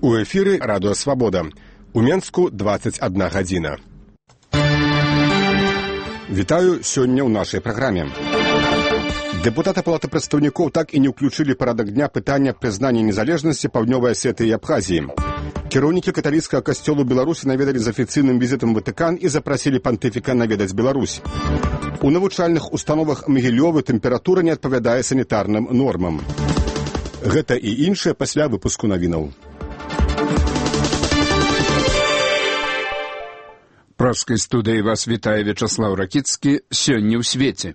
У эфіры Радыё Свабода. У Менску 21 гадзіна. Вітаю сёння ў нашай праграме. Дэпутаты Палаты прадстаўнікоў так і не ўключылі парадак дня пытання прызнання незалежнасці Паўднёвай Асетыі і Абхазіі. Кіраўнікі каталіцкага касцёлу Беларусі наведалі з афіцыйным візітам Ватыкан і запрасілі пантыфіка наведаць Беларусь. У навучальных установах Магілёвы тэмпература не адпавядае санітарным нормам. Гэта і іншае пасля выпуску навінаў. Пражскай студыі вас вітае Вячаслаў Ракіцкі. Сёння ў свеце.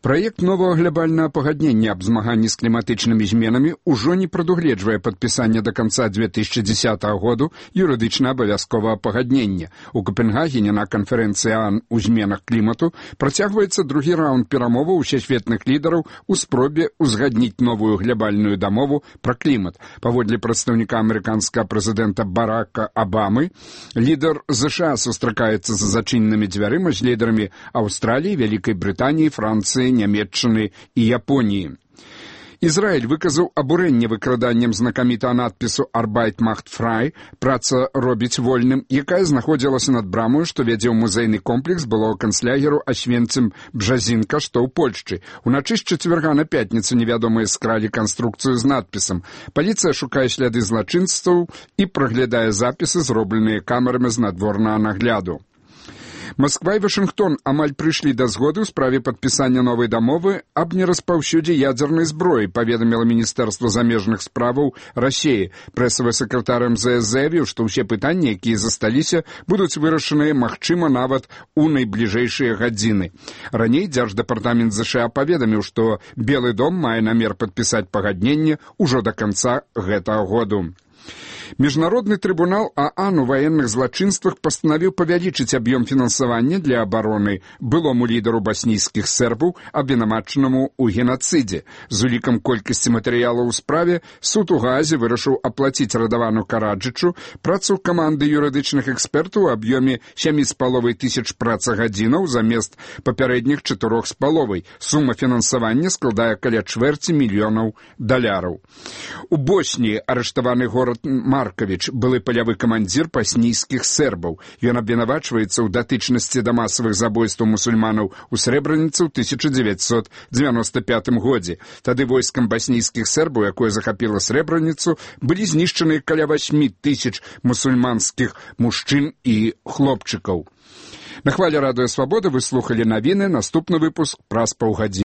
Праект новага глобальнага пагаднення аб змаганні з кліматычнымі зменамі ўжо не прадугледжвае падпісання да канца 2010 году юрыдычна абавязковага пагаднення. У Копенгагене на канферэнцыі ААН у зменах клімату працягваецца другі раунд перамоваў усесветных лідараў у спробе узгадніць новую глобальную дамову пра клімат. Паводле прадстаўніка амерыканскага прэзідэнта Барака Абамы, лідар ЗША сустракаецца за зачыненымі дзвярыма з лідарамі Аўстраліі, Вялікай Брытаніі, Францыі, Нямецчыны і Японіі. Ізраіль выказаў абурэнне выкраданнем знакамітага надпісу «Arbeit macht frei» «Праца робіць вольным», якая знаходзілася над брамою, што вядзе ў музейны комплекс былога канцлягеру Асвенцым-Бжазінка, што ў Польшчы. Уначы з чацвярга на пятніцу невядомыя скралі канструкцыю з надпісам. Паліцыя шукае сляды злачынстваў і праглядае запісы, зробленыя камерамі з надворнага нагляду. Масква і Вашынгтон амаль прыйшлі да згоды ў справе падпісання новай дамовы аб нераспаўсюдзе ядзернай зброі, паведаміла Міністэрства замежных справаў Расіі. Прэсавы сакратар МЗС заявіў, што ўсе пытанні, якія засталіся, будуць вырашаныя, магчыма, нават у найбліжэйшыя гадзіны. Раней Дзярждэпартамент ЗША паведаміў, што Белы дом мае намер падпісаць пагадненне ўжо да канца гэтага году. Міжнародны трыбунал ААН у ваенных злачынствах пастанавіў павялічыць аб'ём фінансавання для абароны былому лідару баснійскіх сербаў, абвінавачанаму ў генацыдзе. З улікам колькасці матэрыялаў у справе суд у Гаазе вырашыў аплаціць Радавану Караджычу працу каманды юрыдычных экспертаў у аб'ёме 7,5 тысяч працагадзінаў замест папярэдніх 4,5. Сума фінансавання складае каля $250 мільёнаў. У Босніі арыштаваны горад Маркавіч, былы палявы камандзір баснійскіх сербаў. Ён абвінавачваецца ў датычнасці да масавых забойстваў мусульманаў у Срэбраніцы ў 1995 годзе. Тады войскам баснійскіх сербаў, якое захапіла Срэбраніцу, былі знішчаны каля 8,000 мусульманскіх мужчын і хлопчыкаў. На хвале Радыё Свабода вы слухалі навіны, наступны выпуск праз паўгадзіны.